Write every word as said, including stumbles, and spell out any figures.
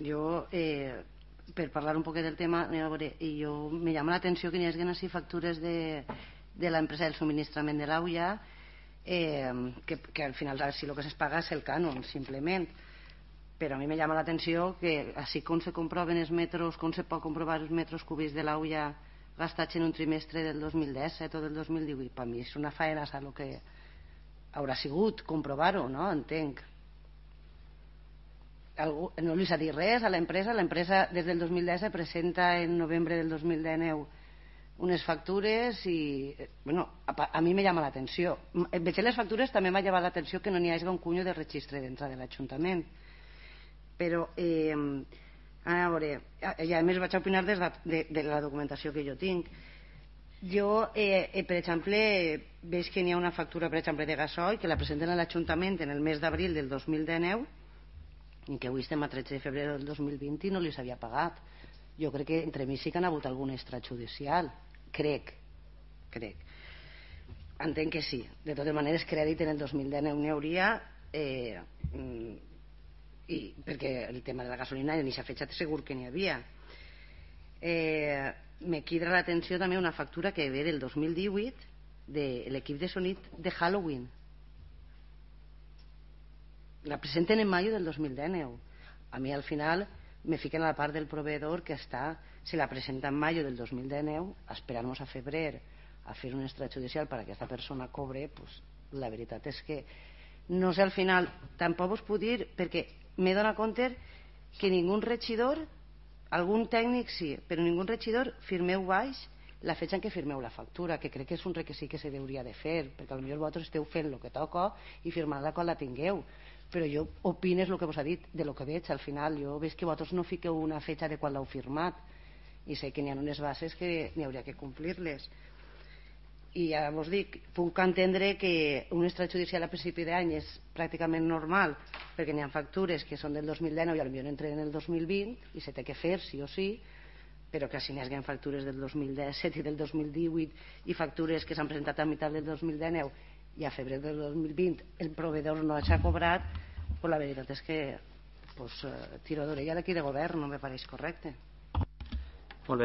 Jo, eh, per parlar un poquet del tema, a veure, i jo, me llama l'atenció que n'hi hagi així factures de, de l'empresa del subministrament de l'Auia, eh, que, que al final si el que es paga és el cànon, simplement. Però a mi me llama l'atenció que així com se comproven els metros, com se pot comprovar els metres cúbics de l'Auia gastats en un trimestre del dos mil disset o del dos mil divuit, per mi és una faena saber el que haurà sigut comprovar-ho, no? Entenc. Algú, no li s'ha dit res a l'empresa. L'empresa des del dos mil disset presenta en novembre del dos mil dinou unes factures i bueno, a, a mi me llama l'atenció. Veig les factures, també m'ha llamat l'atenció que no n'hi hagi un cunyo de registre dintre de l'Ajuntament. Però eh, a veure, i a més vaig a opinar des de, de, de la documentació que jo tinc. Jo, eh, eh, per exemple, veig que n'hi ha una factura, per exemple, de gasoil que la presenten a l'Ajuntament en el mes d'abril del dos mil dinou i que avui estem a tretze de febrer del dos mil vint i no li s'havia pagat. Jo crec que entre mi sí que han hagut algun extrajudicial. Crec. Crec. Entenc que sí. De totes maneres, crèdit en el dos mil dinou n'hi hauria, eh, i, perquè el tema de la gasolina ni s'ha fet segur que n'hi havia. Eh, me crida l'atenció també una factura que ve del dos mil divuit de l'equip de sonit de Halloween. La presenten en mayo del dos mil dinou. A mi al final me fiquen a la part del proveedor que està, si la presenta en mayo del dos mil dinou, esperar-nos a febrer a fer un extrajudicial per a aquesta persona cobre, pues, la veritat és que no sé al final, tampoc us puc dir, perquè m'he donat compte que ningú regidor, algun tècnic sí, però ningú regidor firmeu baix la fetge en què firmeu la factura, que crec que és un requisit que se hauria de fer, perquè potser vosaltres esteu fent el que toca i firmant-la quan la tingueu. Però jo opines el que vos ha dit de lo que veig al final. Jo veig que vosaltres no fiqueu una fetge de quan l'heu firmat i sé que n'hi ha unes bases que n'hi hauria que complir-les. I ja vos dic, puc entendre que un extrajudicial a principi d'any és pràcticament normal perquè n'hi ha factures que són del dos mil dinou i potser entren en el dos mil vint i se té que fer sí o sí, però que si n'hi hagin factures del dos mil disset i del dos mil divuit i factures que s'han presentat a meitat del dos mil dinou i a febrer del dos mil vint el proveedor no s'ha cobrat, pues la veritat és que pues, tiro d'orella d'aquí de govern no me pareix correcte.